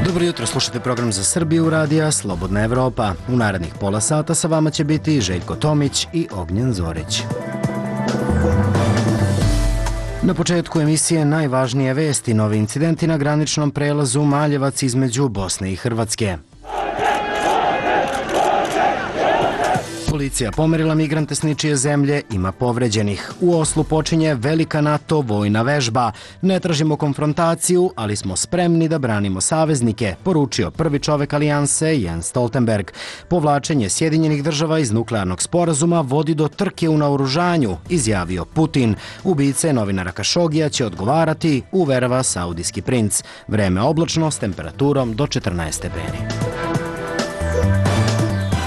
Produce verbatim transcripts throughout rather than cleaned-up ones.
Dobro jutro, slušate program za Srbiju radija Slobodna Evropa. U narednih pola sata sa vama će biti Željko Tomić i Ognjen Zorić. Na početku emisije najvažnije vesti, novi incidenti na graničnom prelazu Maljevac između Bosne i Hrvatske. Policija pomerila migrante s ničije zemlje, ima povređenih. U Oslu počinje velika NATO vojna vežba. Ne tražimo konfrontaciju, ali smo spremni da branimo saveznike, poručio prvi čovek alijanse Jens Stoltenberg. Povlačenje Sjedinjenih država iz nuklearnog sporazuma vodi do trke u naoružanju, izjavio Putin. Ubice novinara Kašogija će odgovarati, uverava saudijski princ. Vreme oblačno s temperaturom do četrnaest stepeni.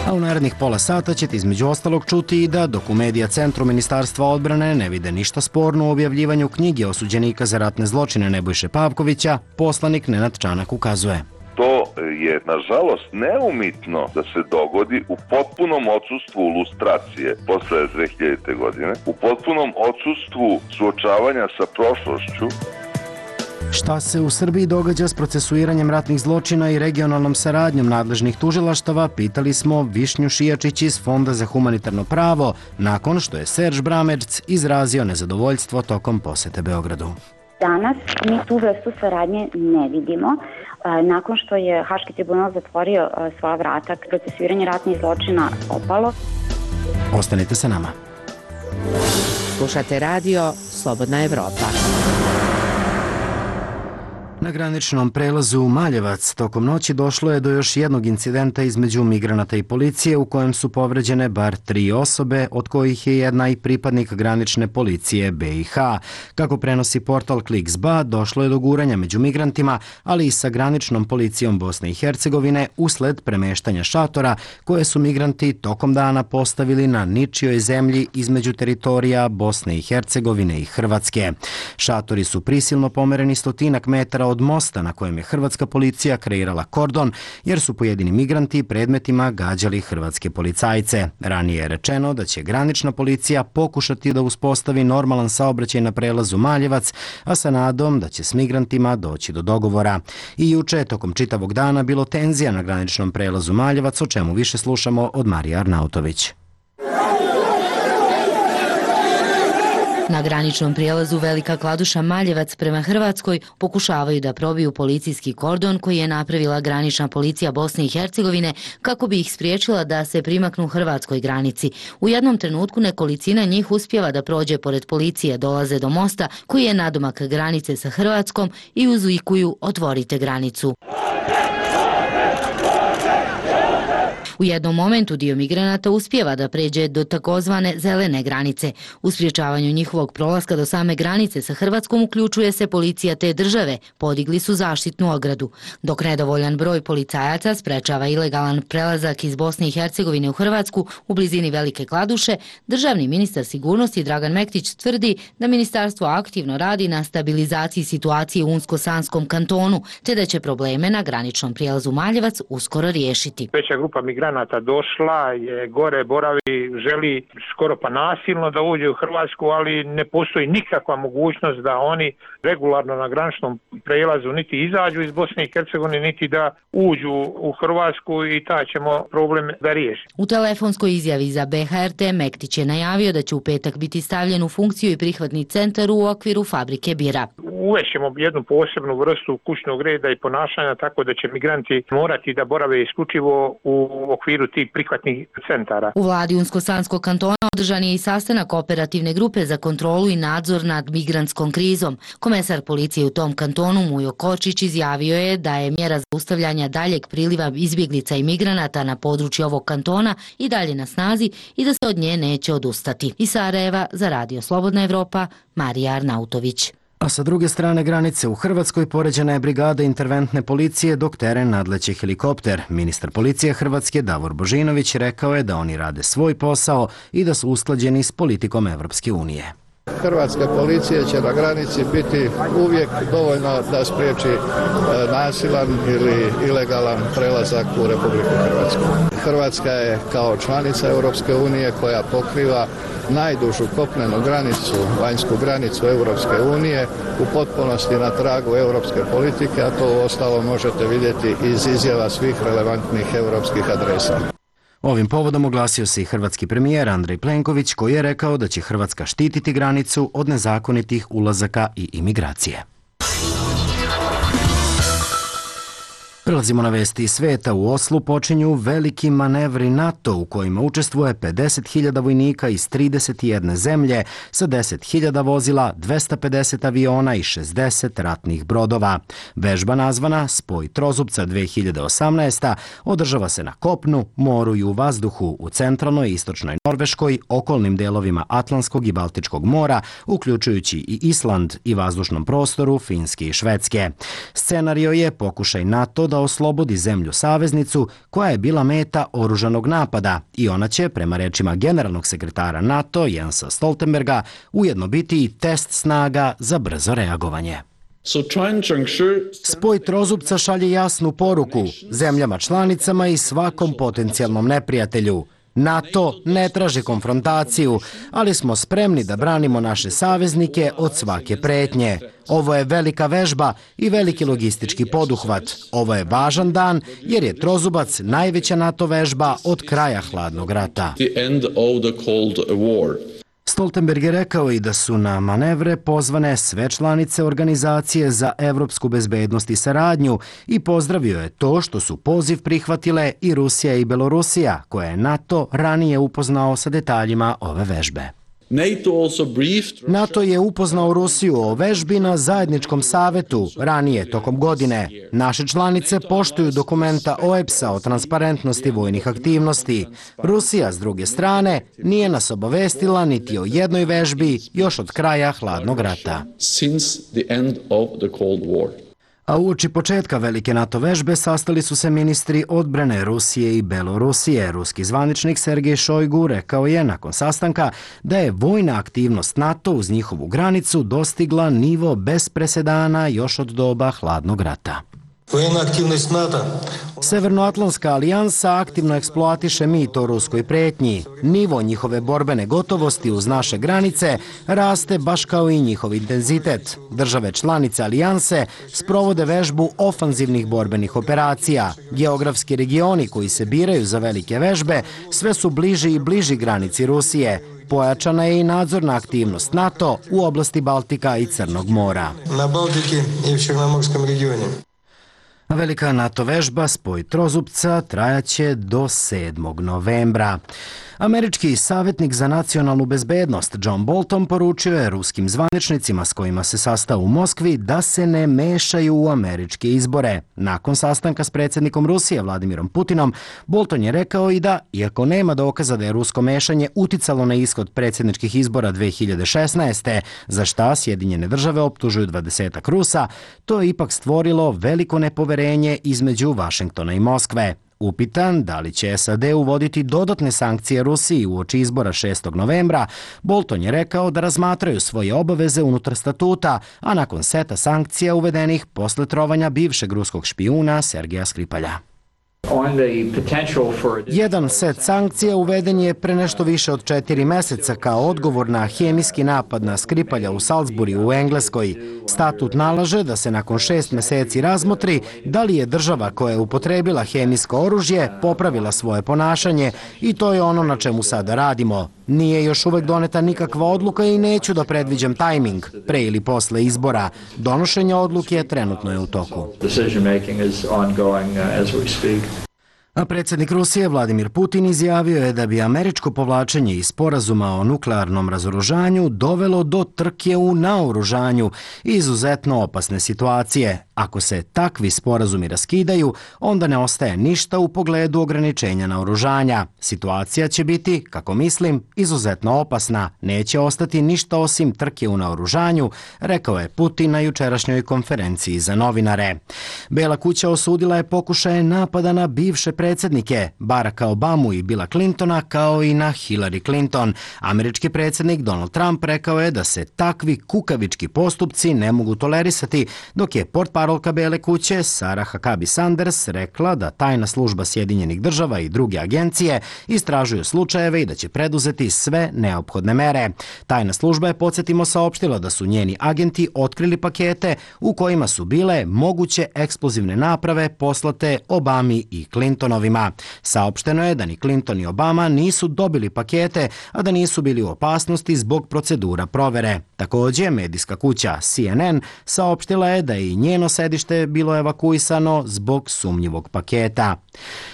A u narednih pola sata ćete između ostalog čuti i da dok u Medija centru Ministarstva odbrane ne vide ništa sporno u objavljivanju knjige osuđenika za ratne zločine Nebojše Pavkovića, poslanik Nenad Čanak ukazuje. To je, nažalost, neumitno da se dogodi u potpunom odsustvu lustracije posle dve hiljadite. godine, u potpunom odsustvu suočavanja sa prošlošću. Šta se u Srbiji događa s procesuiranjem ratnih zločina i regionalnom saradnjom nadležnih tužilaštava, pitali smo Višnju Šijačić iz Fonda za humanitarno pravo, nakon što je Serž Bramerc izrazio nezadovoljstvo tokom posete Beogradu. Danas mi tu vrstu saradnje ne vidimo. Nakon što je Haški tribunal zatvorio svoja vrata, procesuiranje ratnih zločina opalo. Ostanite sa nama. Slušate radio Slobodna Evropa. Na graničnom prelazu Maljevac tokom noći došlo je do još jednog incidenta između migranata i policije u kojem su povređene bar tri osobe, od kojih je jedna i pripadnik granične policije B i H. Kako prenosi portal Kliks.ba, došlo je do guranja među migrantima, ali i sa graničnom policijom Bosne i Hercegovine usled premeštanja šatora koje su migranti tokom dana postavili na ničijoj zemlji između teritorija Bosne i Hercegovine i Hrvatske. Šatori su prisilno pomereni stotinak metara od mosta na kojem je hrvatska policija kreirala kordon, jer su pojedini migranti predmetima gađali hrvatske policajce. Ranije je rečeno da će granična policija pokušati da uspostavi normalan saobraćaj na prelazu Maljevac, a sa nadom da će s migrantima doći do dogovora. I juče, tokom čitavog dana, bilo tenzija na graničnom prelazu Maljevac, o čemu više slušamo od Marije Arnautović. Na graničnom prijelazu Velika Kladuša Maljevac prema Hrvatskoj pokušavaju da probiju policijski kordon koji je napravila granična policija Bosne i Hercegovine kako bi ih spriječila da se primaknu hrvatskoj granici. U jednom trenutku nekolicina njih uspijeva da prođe pored policije, dolaze do mosta koji je nadomak granice sa Hrvatskom i uzvikuju otvorite granicu. U jednom momentu dio migranata uspijeva da pređe do takozvane zelene granice. U sprječavanju njihovog prolaska do same granice sa Hrvatskom uključuje se policija te države, podigli su zaštitnu ogradu. Dok nedovoljan broj policajaca sprečava ilegalan prelazak iz Bosne i Hercegovine u Hrvatsku u blizini Velike Kladuše, državni ministar sigurnosti Dragan Mektić tvrdi da ministarstvo aktivno radi na stabilizaciji situacije u Unsko-Sanskom kantonu, te da će probleme na graničnom prijelazu Maljevac uskoro riješiti. Veća grupa migranata došla je gore, boravi, želi skoro pa nasilno da uđe u Hrvatsku, ali ne postoji nikakva mogućnost da oni regularno na graničnom prelazu niti izađu iz Bosne i Hercegovine, niti da uđu u Hrvatsku i taj ćemo problem da riješimo. U telefonskoj izjavi za B H R T Mektić je najavio da će u petak biti stavljen u funkciju i prihvatni centar u okviru fabrike bira. Uvešćemo jednu posebnu vrstu kućnog reda i ponašanja tako da će migranti morati da borave isključivo u okviru tih prihvatnih centara. U vladi Unsko-Sanskog kantona održan je i sastanak operativne grupe za kontrolu i nadzor nad migrantskom krizom. Komesar policije u tom kantonu Mujo Kočić izjavio je da je mjera zaustavljanja daljeg priliva izbjeglica i migranata na području ovog kantona i dalje na snazi i da se od nje neće odustati. Iz Sarajeva za Radio Slobodna Evropa, Marija Arnautović. A sa druge strane granice u Hrvatskoj poređena je brigada interventne policije dok teren nadleće helikopter. Ministar policije Hrvatske Davor Božinović rekao je da oni rade svoj posao i da su usklađeni s politikom Evropske unije. Hrvatska policija će na granici biti uvijek dovoljno da spriječi nasilan ili ilegalan prelazak u Republiku Hrvatsku. Hrvatska je kao članica Europske unije koja pokriva najdužu kopnenu granicu, vanjsku granicu Europske unije, u potpunosti na tragu europske politike, a to uostalom možete vidjeti iz izjava svih relevantnih europskih adresa. Ovim povodom oglasio se i hrvatski premijer Andrej Plenković, koji je rekao da će Hrvatska štititi granicu od nezakonitih ulazaka i imigracije. Prelazimo na vesti iz sveta. U Oslu počinju veliki manevri NATO u kojima učestvuje pedeset hiljada vojnika iz trideset jedne zemlje sa deset hiljada vozila, dvesta pedeset aviona i šezdeset ratnih brodova. Vežba nazvana Spoj trozupca dve hiljade osamnaesta održava se na kopnu, moru i u vazduhu u centralnoj i istočnoj Norveškoj, okolnim delovima Atlantskog i Baltičkog mora, uključujući i Island i vazdušnom prostoru Finske i Švedske. Scenario je pokušaj NATO da oslobodi zemlju saveznicu koja je bila meta oružanog napada i ona će, prema rečima generalnog sekretara NATO Jensa Stoltenberga, ujedno biti i test snaga za brzo reagovanje. Spoj trozupca šalje jasnu poruku zemljama članicama i svakom potencijalnom neprijatelju. NATO ne traži konfrontaciju, ali smo spremni da branimo naše saveznike od svake pretnje. Ovo je velika vežba i veliki logistički poduhvat. Ovo je važan dan jer je trozubac najveća NATO vežba od kraja hladnog rata. Stoltenberg je rekao i da su na manevre pozvane sve članice Organizacije za evropsku bezbednost i saradnju i pozdravio je to što su poziv prihvatile i Rusija i Belorusija, koje je NATO ranije upoznao sa detaljima ove vežbe. NATO je upoznao Rusiju o vežbi na zajedničkom savetu ranije tokom godine. Naše članice poštuju dokumenta O E P S-a o transparentnosti vojnih aktivnosti. Rusija, s druge strane, nije nas obavestila niti o jednoj vežbi još od kraja hladnog rata. A uoči početka velike NATO vežbe sastali su se ministri odbrane Rusije i Belorusije. Ruski zvaničnik Sergej Šojgu rekao je nakon sastanka da je vojna aktivnost NATO uz njihovu granicu dostigla nivo bez presedana još od doba hladnog rata. Vojna aktivnost NATO. Severnoatlantska alijansa aktivno eksploatiše mit o ruskoj pretnji. Nivo njihove borbene gotovosti uz naše granice raste baš kao i njihov intenzitet. Države članice alijanse sprovode vežbu ofanzivnih borbenih operacija. Geografski regioni koji se biraju za velike vežbe sve su bliži i bliži granici Rusije. Pojačana je i nadzorna aktivnost NATO u oblasti Baltika i Crnog mora. Na Baltiki i u Črnomorskom regionu. Velika NATO vežba Spoj trozupca trajaće do sedmog novembra. Američki savjetnik za nacionalnu bezbednost John Bolton poručio je ruskim zvaničnicima s kojima se sastao u Moskvi da se ne mešaju u američke izbore. Nakon sastanka s predsjednikom Rusije Vladimirom Putinom, Bolton je rekao i da, iako nema dokaza da je rusko mešanje uticalo na ishod predsjedničkih izbora dve hiljade šesnaeste, za šta Sjedinjene države optužuju dvadesetak Rusa, to je ipak stvorilo veliko nepoverenje između Vašingtona i Moskve. Upitan da li će S A D uvoditi dodatne sankcije Rusiji uoči izbora šestog novembra, Bolton je rekao da razmatraju svoje obaveze unutar statuta, a nakon seta sankcija uvedenih posle trovanja bivšeg ruskog špijuna Sergeja Skripalja. Jedan set sankcija uveden je pre nešto više od četiri meseca kao odgovor na hemijski napad na Skripalja u Salisburiju u Engleskoj. Statut nalaže da se nakon šest meseci razmotri da li je država koja je upotrebila hemijsko oružje popravila svoje ponašanje i to je ono na čemu sada radimo. Nije još uvek doneta nikakva odluka i neću da predviđam tajming, pre ili posle izbora. Donošenje odluke trenutno je u toku. A predsjednik Rusije Vladimir Putin izjavio je da bi američko povlačenje iz sporazuma o nuklearnom razoružanju dovelo do trke u naoružanju i izuzetno opasne situacije. Ako se takvi sporazumi raskidaju, onda ne ostaje ništa u pogledu ograničenja naoružanja. Situacija će biti, kako mislim, izuzetno opasna. Neće ostati ništa osim trke u naoružanju, rekao je Putin na jučerašnjoj konferenciji za novinare. Bela kuća osudila je pokušaje napada na bivše predsjednike, Baracka Obamu i Billa Clintona, kao i na Hillary Clinton. Američki predsjednik Donald Trump rekao je da se takvi kukavički postupci ne mogu tolerisati, dok je portparolka Bele kuće Sarah Huckabee Sanders rekla da tajna služba Sjedinjenih država i druge agencije istražuju slučajeve i da će preduzeti sve neophodne mere. Tajna služba je, podsjetimo, saopštila da su njeni agenti otkrili pakete u kojima su bile moguće eksplozivne naprave poslate Obami i Clintonovima. Saopšteno je da ni Clinton ni Obama nisu dobili pakete, a da nisu bili u opasnosti zbog procedura provere. Također, medijska kuća C N N saopštila je da je i njeno sedište bilo evakuisano zbog sumnjivog paketa.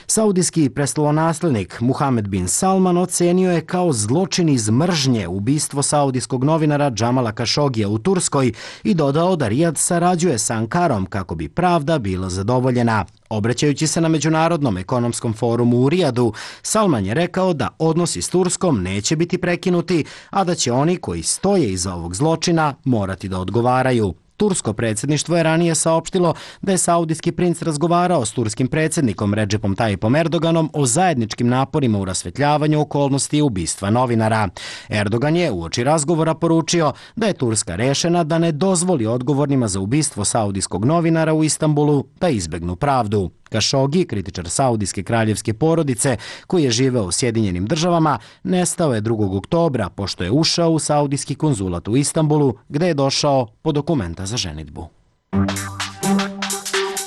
Saudijski prestolonaslednik Muhammed bin Salman ocenio je kao zločin iz mržnje ubistvo saudijskog novinara Džamala Kašogija u Turskoj i dodao da Rijad sarađuje sa Ankarom kako bi pravda bila zadovoljena. Obraćajući se na Međunarodnom ekonomskom forumu u Rijadu, Salman je rekao da odnosi s Turskom neće biti prekinuti, a da će oni koji stoje iza ovog zločina morati da odgovaraju. Tursko predsjedništvo je ranije saopštilo da je saudijski princ razgovarao s turskim predsjednikom Recepom Tayyipom Erdoganom o zajedničkim naporima u rasvetljavanju okolnosti ubistva novinara. Erdogan je uoči razgovora poručio da je Turska rešena da ne dozvoli odgovornima za ubistvo saudijskog novinara u Istanbulu da izbegnu pravdu. Kašogi, kritičar saudijske kraljevske porodice koji je živeo u Sjedinjenim državama, nestao je drugog oktobra pošto je ušao u saudijski konzulat u Istanbulu gde je došao po dokumenta za ženidbu.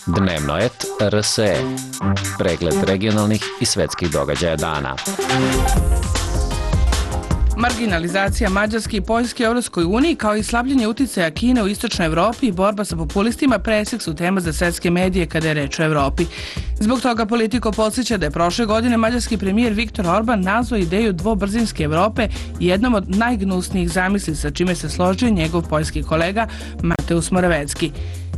Dnevnoet R S E. Pregled regionalnih i svetskih događaja dana. Marginalizacija Mađarske i Poljske u Evropskoj uniji kao i slabljenje uticaja Kine u istočnoj Evropi i borba sa populistima presek su tema za svetske medije kada je reč o Evropi. Zbog toga Politico podsjeća da je prošle godine mađarski premijer Viktor Orban nazvao ideju dvobrzinske Evrope jednom od najgnusnijih zamisli, sa čime se složio njegov poljski kolega Mateusz Morawiecki.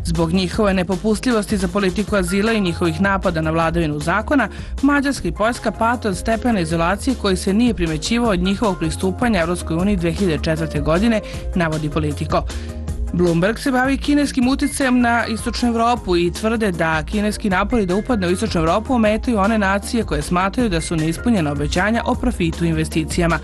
Zbog njihove nepopustljivosti za politiku azila i njihovih napada na vladavinu zakona, Mađarska i Poljska pate od stepena izolacije koji se nije primećivao od njihovog pristupanja Evropskoj uniji dve hiljade četvrte. godine, navodi Politico. Bloomberg se bavi kineskim uticajem na istočnu Evropu i tvrde da kineski napori da upadne u istočnu Evropu ometaju one nacije koje smatraju da su neispunjena obećanja o profitu i investicijama.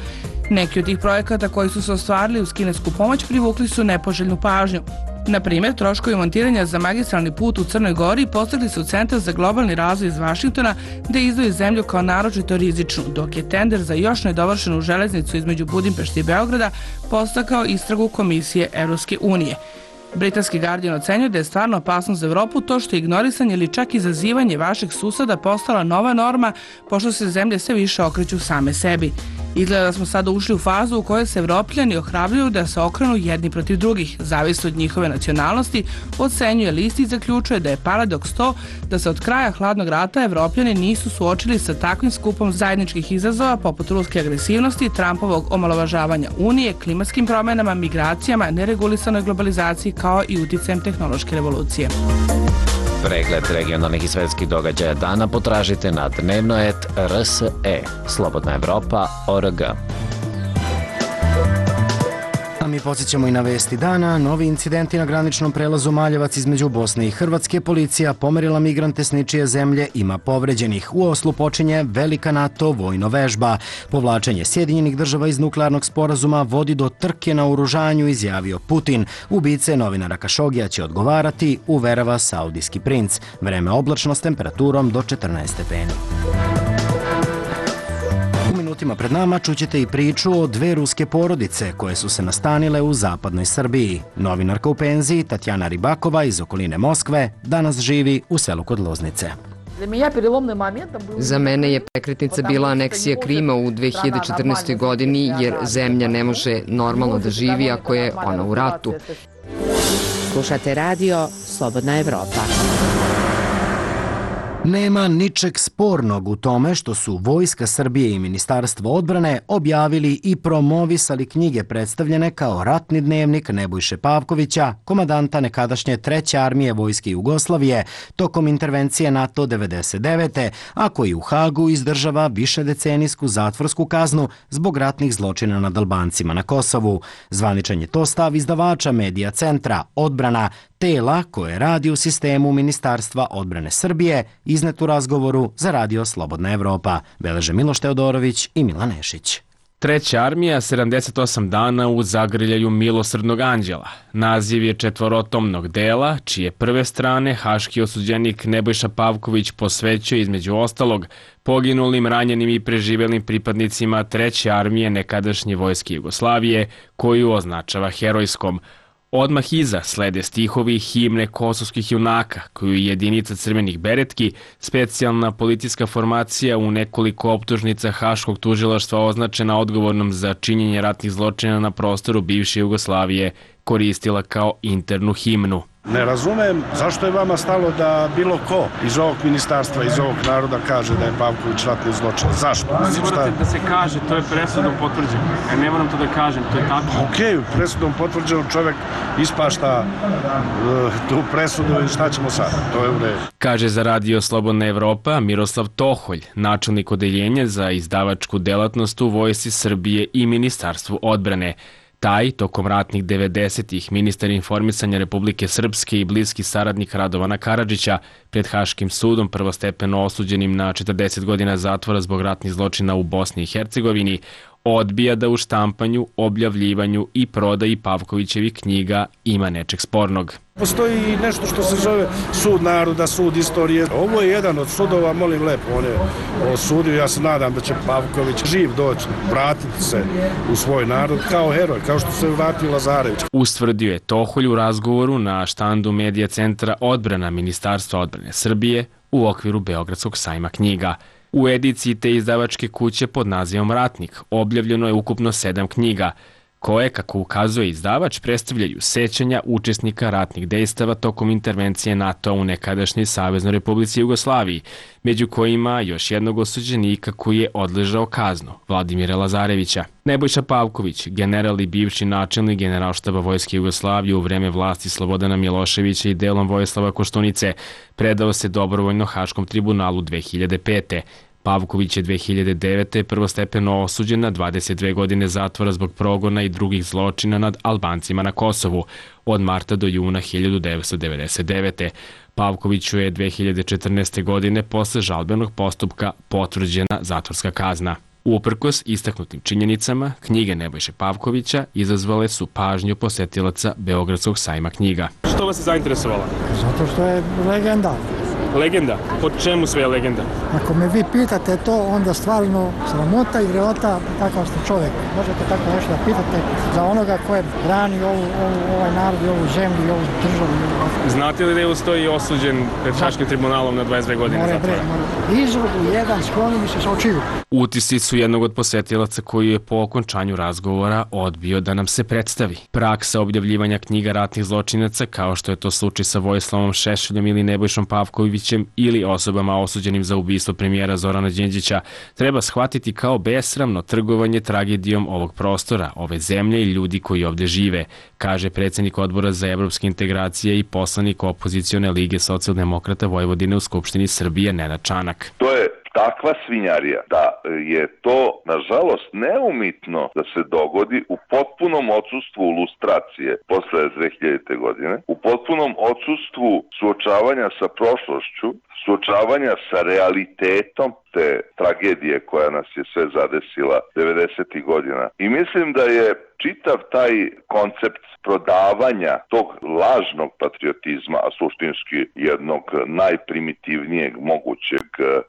Neki od tih projekata koji su se ostvarili uz kinesku pomoć privukli su nepoželjnu pažnju. Na primjer, troškovi montiranja za magistralni put u Crnoj Gori postigli su Centar za globalni razvoj iz Vašingtona da izdvoji zemlju kao naročito rizičnu, dok je tender za još nedovršenu železnicu između Budimpešte i Beograda postakao istragu Komisije Evropske unije. Britanski Guardian ocenjuje da je stvarno opasnost za Evropu to što je ignorisanje ili čak izazivanje vaših suseda postala nova norma, pošto se zemlje sve više okreću same sebi. Izgleda da smo sada ušli u fazu u kojoj se Evropljani ohrabruju da se okrenu jedni protiv drugih, zavisno od njihove nacionalnosti, ocenjuje list i zaključuje da je paradoks to da se od kraja hladnog rata Evropljani nisu suočili sa takvim skupom zajedničkih izazova poput ruske agresivnosti, Trumpovog omalovažavanja Unije, klimatskim promenama, migracijama, neregulisanoj globalizaciji kao i uticajem tehnološke revolucije. Pregled regionalnih i svetskih događaja dana potražite na Dnevnoet R S E. Slobodna Evropa O R G. A mi podsjećamo i na vesti dana. Novi incidenti na graničnom prelazu Maljevac između Bosne i Hrvatske. Policija pomerila migrante s ničije zemlje, ima povređenih. U Oslu počinje velika NATO vojno vežba. Povlačenje Sjedinjenih država iz nuklearnog sporazuma vodi do trke na oružanju, izjavio Putin. Ubice novinara Kašogija će odgovarati, uverava saudijski princ. Vreme oblačno s temperaturom do četrnaest stepeni. Minutima pred nama čućete i priču o dve ruske porodice koje su se nastanile u zapadnoj Srbiji. Novinarka u penziji Tatjana Ribakova iz okoline Moskve danas živi u selu kod Loznice. Za mene je prekretnica bila aneksija Krima u dve hiljade četrnaestoj. godini, jer zemlja ne može normalno da živi ako je ona u ratu. Slušate radio Slobodna Evropa. Nema ničeg spornog u tome što su Vojska Srbije i Ministarstvo odbrane objavili i promovisali knjige predstavljene kao ratni dnevnik Nebojše Pavkovića, komandanta nekadašnje treće armije Vojske Jugoslavije, tokom intervencije NATO devedeset devete. a koji u Hagu izdržava višedecenijsku zatvorsku kaznu zbog ratnih zločina nad Albancima na Kosovu. Zvaničan je to stav izdavača medija centra Odbrana, tela koje radi u sistemu Ministarstva odbrane Srbije, iznet u razgovoru za radio Slobodna Evropa. Beleže Miloš Teodorović i Milan Nešić. Treća armija, sedamdeset osam dana u zagrljaju milosrdnog anđela. Naziv je četvorotomnog dela, čije prve strane haški osuđenik Nebojša Pavković posvećuje između ostalog poginulim, ranjenim i preživelim pripadnicima Treće armije nekadašnje Vojske Jugoslavije, koju označava herojskom. Odmah iza slede stihovi himne kosovskih junaka, koju je jedinica crvenih beretki, specijalna policijska formacija u nekoliko optužnica Haškog tužilaštva označena odgovornom za činjenje ratnih zločina na prostoru bivše Jugoslavije, koristila kao internu himnu. Ne razumem zašto je vama stalo da bilo ko iz ovog ministarstva, iz ovog naroda kaže da je Pavković ratni zločin. Zašto? Ne morate da se kaže, to je presudom potvrđeno. Ja ne moram to da kažem, to je tako. Okej, presudom potvrđeno čovjek ispašta uh, tu presudu i šta ćemo sad? To je u redu. Kaže za radio Slobodna Evropa Miroslav Toholj, načelnik odeljenja za izdavačku delatnost u Vojsci Srbije i Ministarstvu odbrane. Taj, tokom ratnih devedesetih, ministar informisanja Republike Srpske i bliski saradnik Radovana Karadžića, pred Haškim sudom prvostepeno osuđenim na četrdeset godina zatvora zbog ratnih zločina u Bosni i Hercegovini, odbija da u štampanju, objavljivanju i prodaji Pavkovićevih knjiga ima nečeg spornog. Postoji nešto što se zove sud naroda, sud istorije. Ovo je jedan od sudova, molim lepo, on je osudio. Ja se nadam da će Pavković živ doći, vratiti se u svoj narod kao heroj, kao što se vratio Lazarević. Ustvrdio je Toholj u razgovoru na štandu medija centra Odbrana Ministarstva odbrane Srbije u okviru Beogradskog sajma knjiga. U ediciji te izdavačke kuće pod nazivom Ratnik objavljeno je ukupno sedam knjiga, koje, kako ukazuje izdavač, predstavljaju sećanja učesnika ratnih dejstava tokom intervencije NATO u nekadašnjoj Saveznoj Republici Jugoslaviji, među kojima još jednog osuđenika koji je odležao kaznu, Vladimira Lazarevića. Nebojša Pavković, general i bivši načelnik Generalštaba Vojske Jugoslavije u vreme vlasti Slobodana Miloševića i delom Vojislava Koštunice, predao se dobrovoljno Haškom tribunalu dve hiljade pete. Pavković je dve hiljade devete. prvostepeno osuđen na dvadeset dve godine zatvora zbog progona i drugih zločina nad Albancima na Kosovu od marta do juna hiljadu devetsto devedeset devete. Pavkoviću je dve hiljade četrnaeste. godine posle žalbenog postupka potvrđena zatvorska kazna. Uprkos istaknutim činjenicama, knjige Nebojše Pavkovića izazvale su pažnju posetilaca Beogradskog sajma knjiga. Što vas je zainteresovalo? Zato što je legenda. Legenda? Po čemu sve je legenda? Ako me vi pitate to, onda stvarno sramota i greota takav ste čovjek. Možete tako nešto da pitate za onoga koje brani ovu, ovu, ovaj narod i ovu zemlju i ovu državu. Znate li da je ustoji osuđen pred Haškim tribunalom na dvadeset dve godine more, zatvora? More. Izrod u jedan skloni mi se sa očiju. Utisci su jednog od posetilaca koji je po okončanju razgovora odbio da nam se predstavi. Praksa objavljivanja knjiga ratnih zločinaca, kao što je to slučaj sa Vojislavom Šešeljom ili Nebojšom Pavkovićem ili osobama osuđenim za ubistvo premijera Zorana Đinđića, treba shvatiti kao besramno trgovanje tragedijom ovog prostora, ove zemlje i ljudi koji ovdje žive, kaže predsjednik Odbora za evropske integracije i poslanik opozicione Lige socijaldemokrata Vojvodine u Skupštini Srbije Nenad Čanak. To je takva svinjarija da je to, nažalost, neumitno da se dogodi u potpunom odsustvu lustracije posle dve hiljadite. godine, u potpunom odsustvu suočavanja sa prošlošću, suočavanja sa realitetom te tragedije koja nas je sve zadesila devedesetih godina. I mislim da je čitav taj koncept prodavanja tog lažnog patriotizma, a suštinski jednog najprimitivnijeg mogućeg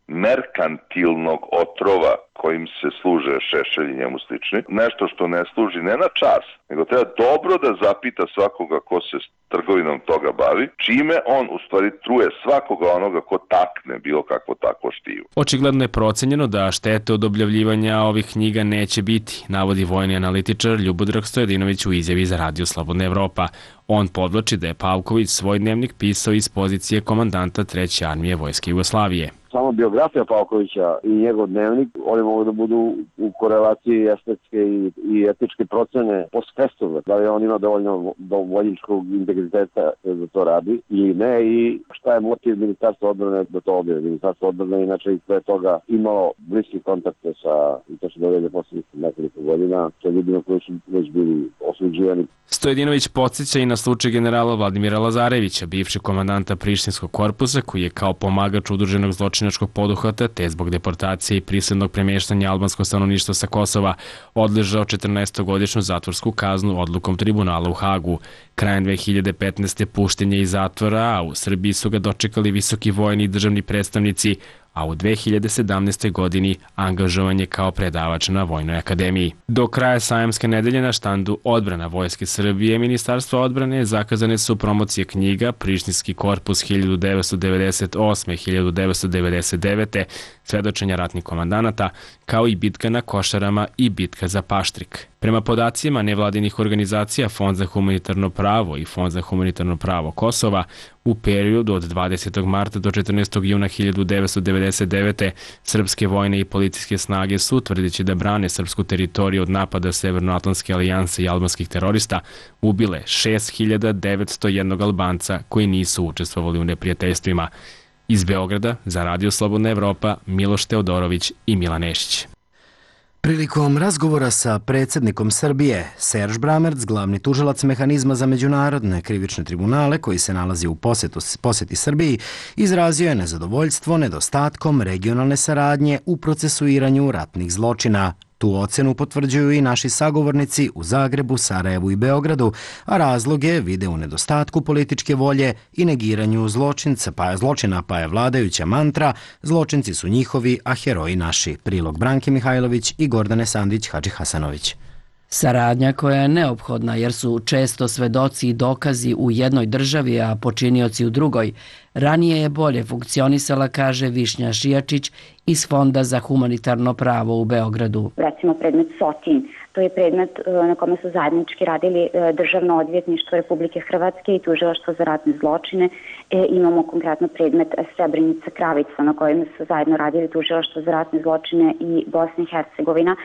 merkantilnog otrova kojim se služe Šešelj i njemu slični, nešto što ne služi ne na čas, nego treba dobro da zapita svakoga ko se trgovinom toga bavi, čime on u stvari truje svakoga onoga ko takne bilo kakvo takvo štivo. Očigledno je procenjeno da štete od objavljivanja ovih knjiga neće biti, navodi vojni analitičar Ljubodrag Stojadinović u izjavi za radio Slobodna Evropa. On podvlači da je Pavković svoj dnevnik pisao iz pozicije komandanta treće armije Vojske Jugoslavije. Samo biografija Pavkovića i njegov dnevnik, oni mogu da budu u korelaciji estetske i, i etičke procene post festum, da li on ima dovoljno vojničkog integriteta da to radi ili ne i šta je motiv Ministarstva odbrane da to objavi. Ministarstvo odbrane inače i pre toga imalo bliski kontakte sa, i to se događa poslednjih nekoliko godina, sa ljudima koji su već bili osuđivani. Stojadinović podsjeća i na slučaj generala Vladimira Lazarevića, bivšeg komandanta Prištinskog korpusa, koji je kao pomagač udruženog zločinačkog poduhvata, te zbog deportacije i prisilnog premeštanja albanskog stanovništva sa Kosova, odležao četrnaestogodišnju zatvorsku kaznu odlukom tribunala u Hagu. Krajem dve hiljade petnaeste. pušten je iz zatvora, a u Srbiji su ga dočekali visoki vojni i državni predstavnici, a u dve hiljade sedamnaestoj. godini angažovan je kao predavač na Vojnoj akademiji. Do kraja sajamske nedelje na štandu Odbrana Vojske Srbije Ministarstva odbrane zakazane su promocije knjiga Prištinski korpus hiljadu devetsto devedeset osme do hiljadu devetsto devedeset devete. svedočenja ratnih komandanata, kao i bitka na Košarama i bitka za Paštrik. Prema podacima nevladinih organizacija Fond za humanitarno pravo i Fond za humanitarno pravo Kosova, u periodu od dvadesetog marta do četrnaestog juna hiljadu devetsto devedeset devete. srpske vojne i policijske snage su, tvrdeći da brane srpsku teritoriju od napada Severnoatlantske alijanse i albanskih terorista, ubile šest hiljada devetsto jedan Albanca koji nisu učestvovali u neprijateljstvima. Iz Beograda za Radio Slobodna Evropa, Miloš Teodorović i Milan Nešić. Prilikom razgovora sa predsjednikom Srbije, Serž Bramerc, glavni tužilac mehanizma za međunarodne krivične tribunale koji se nalazi u posetu, poseti Srbiji, izrazio je nezadovoljstvo nedostatkom regionalne saradnje u procesuiranju ratnih zločina. Tu ocenu potvrđuju i naši sagovornici u Zagrebu, Sarajevu i Beogradu, a razloge vide u nedostatku političke volje i negiranju zločinca, pa je zločina, pa je vladajuća mantra zločinci su njihovi, a heroji naši. Prilog Branke Mihajlović i Gordane Sandić Hadži Hasanović. Saradnja koja je neophodna jer su često svedoci i dokazi u jednoj državi, a počinioci u drugoj. Ranije je bolje funkcionisala, kaže Višnja Šijačić iz Fonda za humanitarno pravo u Beogradu. Recimo predmet Sotin, to je predmet na kome su zajednički radili Državno odvjetništvo Republike Hrvatske i Tužilaštvo za ratne zločine. E, imamo konkretno predmet Srebrenica Kravica na kojem su zajedno radili Tužilaštvo za ratne zločine i Bosna i Hercegovina.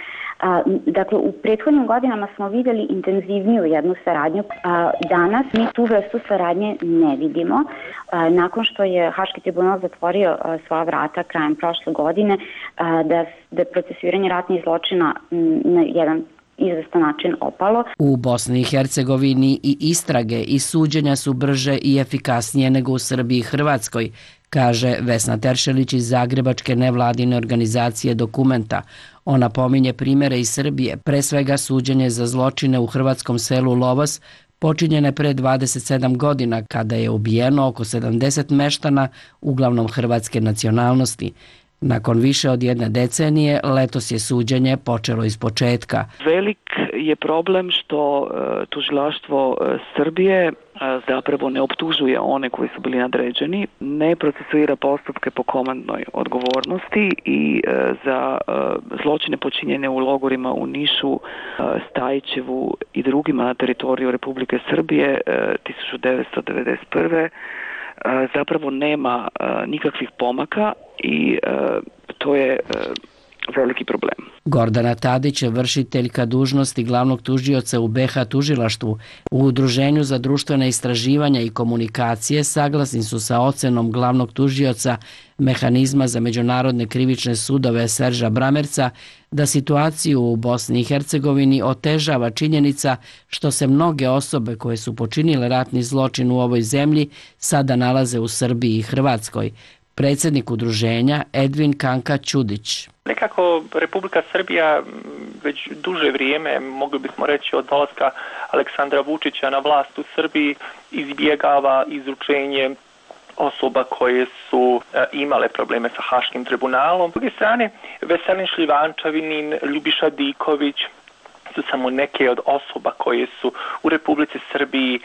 A, dakle, u prethodnim godinama smo vidjeli intenzivniju jednu saradnju. A, danas mi tu vrstu saradnje ne vidimo. A, nakon što je Haški tribunal zatvorio a, svoja vrata krajem prošle godine, a, da, da je procesuiranje ratnih zločina m, na jedan izvestan način opalo. U Bosni i Hercegovini i istrage i suđenja su brže i efikasnije nego u Srbiji i Hrvatskoj, kaže Vesna Teršelić iz zagrebačke nevladine organizacije Dokumenta. Ona pominje primjere iz Srbije, pre svega suđenje za zločine u hrvatskom selu Lovos, počinjene pre dvadeset sedam godina kada je ubijeno oko sedamdeset meštana, uglavnom hrvatske nacionalnosti. Nakon više od jedne decenije, letos je suđenje počelo iz početka. Velik je problem što e, tužilaštvo e, Srbije e, zapravo ne optužuje one koji su bili nadređeni, ne procesuira postupke po komandnoj odgovornosti i e, za e, zločine počinjene u logorima u Nišu, e, Stajićevu i drugima na teritoriju Republike Srbije e, tisuću devetsto devedeset prve. zapravo nema nikakvih pomaka i to je veliki problem. Gordana Tadić je vršiteljka dužnosti glavnog tužioca u be ha tužilaštvu. U Udruženju za društvene istraživanja i komunikacije saglasni su sa ocenom glavnog tužioca mehanizma za međunarodne krivične sudove Serža Bramerca da situaciju u Bosni i Hercegovini otežava činjenica što se mnoge osobe koje su počinile ratni zločin u ovoj zemlji sada nalaze u Srbiji i Hrvatskoj. Predsjednik udruženja Edvin Kanka Ćudić. Nekako Republika Srbija već duže vrijeme, mogli bismo reći od dolaska Aleksandra Vučića na vlast u Srbiji, izbjegava izručenje osoba koje su e, imale probleme sa Haškim tribunalom. S druge strane, Veselin Šljivančavinin, Ljubiša Diković su samo neke od osoba koje su u Republici Srbiji e,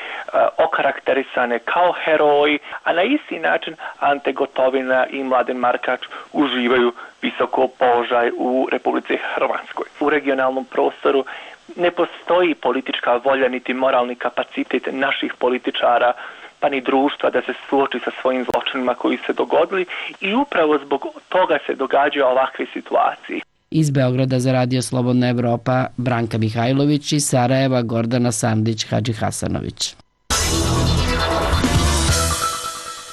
okarakterisane kao heroji, a na isti način Ante Gotovina i Mladen Markač uživaju visoko položaj u Republici Hrvatskoj. U regionalnom prostoru ne postoji politička volja niti moralni kapacitet naših političara pa ni društva da se suoči sa svojim zločinima koji se dogodili i upravo zbog toga se događaju ovakve situacije. Iz Beograda za Radio Slobodna Evropa Branka Mihajlović i Sarajeva Gordana Sandić-Hadžihasanović.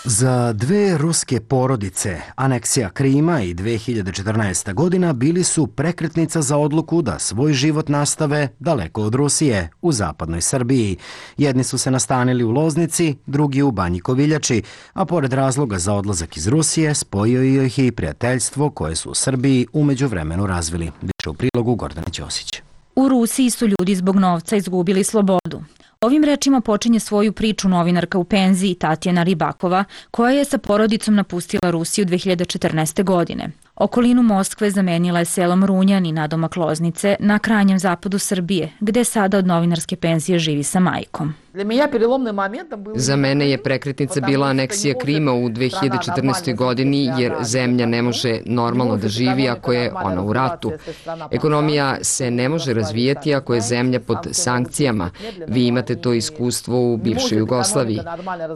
Za dve ruske porodice, aneksija Krima i dve hiljade četrnaesta godina bili su prekretnica za odluku da svoj život nastave daleko od Rusije, u zapadnoj Srbiji. Jedni su se nastanili u Loznici, drugi u Banji Koviljači, a pored razloga za odlazak iz Rusije, spojio ih je i prijateljstvo koje su u Srbiji u međuvremenu razvili. Više u prilogu Gordane Ćosić. U Rusiji su ljudi zbog novca izgubili slobodu. Ovim rečima počinje svoju priču novinarka u penziji Tatjana Ribakova, koja je sa porodicom napustila Rusiju dve hiljade četrnaeste. godine. Okolinu Moskve zamenila je selom Runjan i nadomak Loznice na krajnjem zapadu Srbije, gde sada od novinarske penzije živi sa majkom. Za mene je prekretnica bila aneksija Krima u dve hiljade četrnaestoj. godini, jer zemlja ne može normalno da živi ako je ona u ratu. Ekonomija se ne može razvijati ako je zemlja pod sankcijama. Vi imate to iskustvo u bivšoj Jugoslaviji.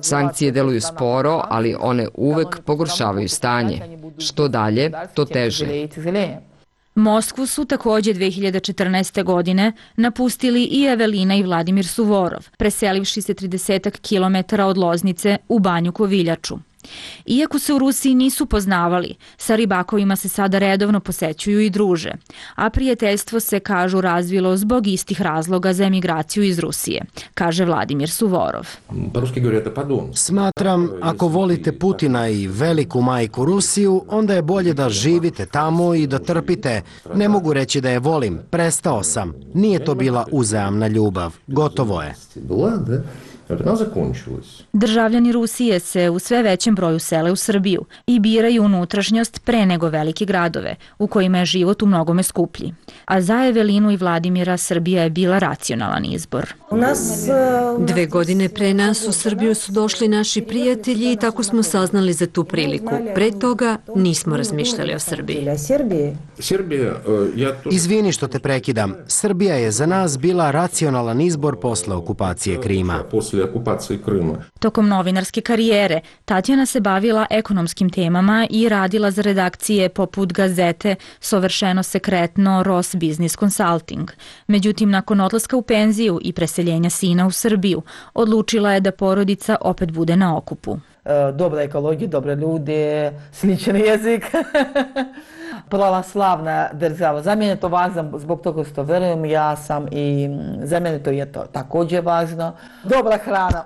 Sankcije deluju sporo, ali one uvek pogoršavaju stanje. Što dalje, to teže. Moskvu su također dve hiljade četrnaeste. godine napustili i Evelina i Vladimir Suvorov, preselivši se trideset kilometara od Loznice u Banju Koviljaču. Iako se u Rusiji nisu poznavali, sa Ribakovima se sada redovno posećuju i druže, a prijateljstvo se, kažu, razvilo zbog istih razloga za emigraciju iz Rusije, kaže Vladimir Suvorov. Smatram, ako volite Putina i veliku majku Rusiju, onda je bolje da živite tamo i da trpite. Ne mogu reći da je volim, prestao sam. Nije to bila uzajamna ljubav. Gotovo je. Državljani Rusije se u sve većem broju sele u Srbiju i biraju unutrašnjost pre nego velike gradove, u kojima je život u mnogome skuplji. A za Evelinu i Vladimira Srbija je bila racionalan izbor. Dve godine pre nas u Srbiju su došli naši prijatelji i tako smo saznali za tu priliku. Pre toga nismo razmišljali o Srbiji. Izvini što te prekidam. Srbija je za nas bila racionalan izbor posle okupacije Krima. Tokom novinarske karijere Tatjana se bavila ekonomskim temama i radila za redakcije poput Gazete, Sovršeno sekretno, Ros Business Consulting. Međutim, nakon odlaska u penziju i preseljenja sina u Srbiju, odlučila je da porodica opet bude na okupu. Dobra ekologija, dobre ljude, sličan jezik. Pravoslavna država. Za mene je to važno zbog toga što verujem, ja sam i za mene to je to također važno. Dobra hrana,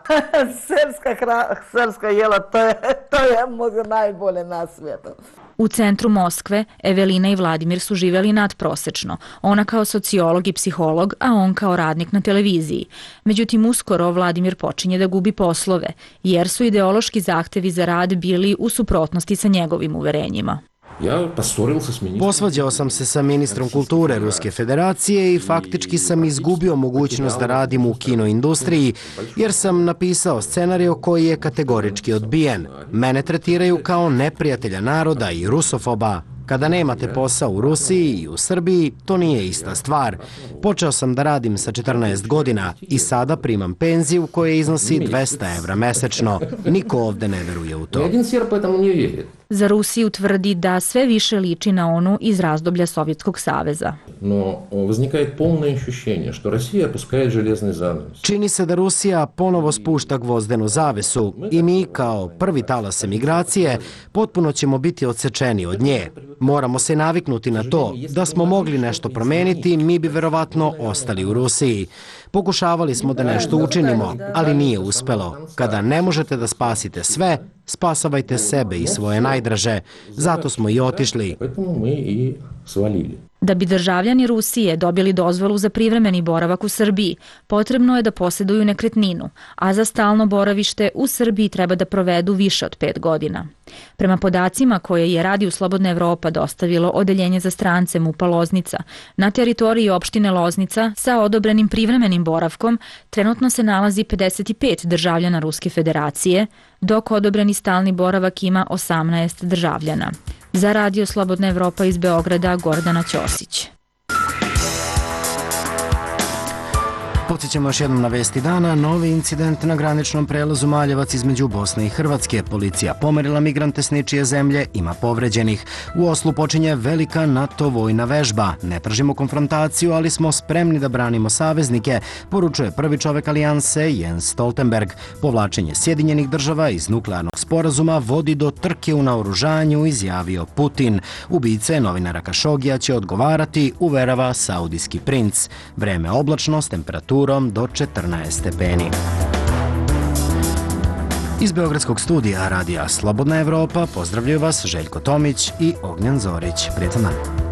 srpska hrana, srpska jela, to je, to je možda najbolje na svijetu. U centru Moskve Evelina i Vladimir su živjeli nadprosečno, ona kao sociolog i psiholog, a on kao radnik na televiziji. Međutim, uskoro Vladimir počinje da gubi poslove, jer su ideološki zahtevi za rad bili u suprotnosti sa njegovim uverenjima. Posvađao sam se sa ministrom kulture Ruske federacije i faktički sam izgubio mogućnost da radim u kinoindustriji, jer sam napisao scenariju koji je kategorički odbijen. Mene tretiraju kao neprijatelja naroda i rusofoba. Kada nemate posao u Rusiji i u Srbiji, to nije ista stvar. Počeo sam da radim sa četrnaest godina i sada primam penziju koja iznosi dvesta evra mesečno. Niko ovde ne veruje u to. Za Rusiju tvrdi da sve više liči na onu iz razdoblja Sovjetskog saveza. Čini se da Rusija ponovo spušta gvozdenu zavesu i mi, kao prvi talas emigracije, potpuno ćemo biti odsečeni od nje. Moramo se naviknuti na to. Da smo mogli nešto promeniti, mi bi verovatno ostali u Rusiji. Pokušavali smo da nešto učinimo, ali nije uspelo. Kada ne možete da spasite sve, spasavajte sebe i svoje najdraže. Zato smo i otišli. Da bi državljani Rusije dobili dozvolu za privremeni boravak u Srbiji, potrebno je da posjeduju nekretninu, a za stalno boravište u Srbiji treba da provedu više od pet godina. Prema podacima koje je Radio Slobodna Evropa dostavilo Odeljenje za strance MUP-a Loznica, na teritoriji opštine Loznica sa odobrenim privremenim boravkom trenutno se nalazi pedeset pet državljana Ruske federacije, dok odobreni stalni boravak ima osamnaest državljana. Za Radio Slobodna Evropa iz Beograda, Gordana Ćosić. Podsjećamo još jednom na vesti dana. Novi incident na graničnom prelazu Maljevac između Bosne i Hrvatske. Policija pomerila migrante s ničije zemlje, ima povređenih. U Oslu počinje velika NATO vojna vežba. Ne tražimo konfrontaciju, ali smo spremni da branimo saveznike, poručuje prvi čovek alijanse Jens Stoltenberg. Povlačenje Sjedinjenih država iz nuklearnog sporazuma vodi do trke u naoružanju, izjavio Putin. Ubice novinara Kašogija će odgovarati, uverava saudijski princ. Vreme oblačno s temperaturom do četrnaest stepeni. Iz Beogradskog studija Radija Slobodna Evropa pozdravljaju vas Željko Tomić i Ognjan Zorić. Prijetan dan.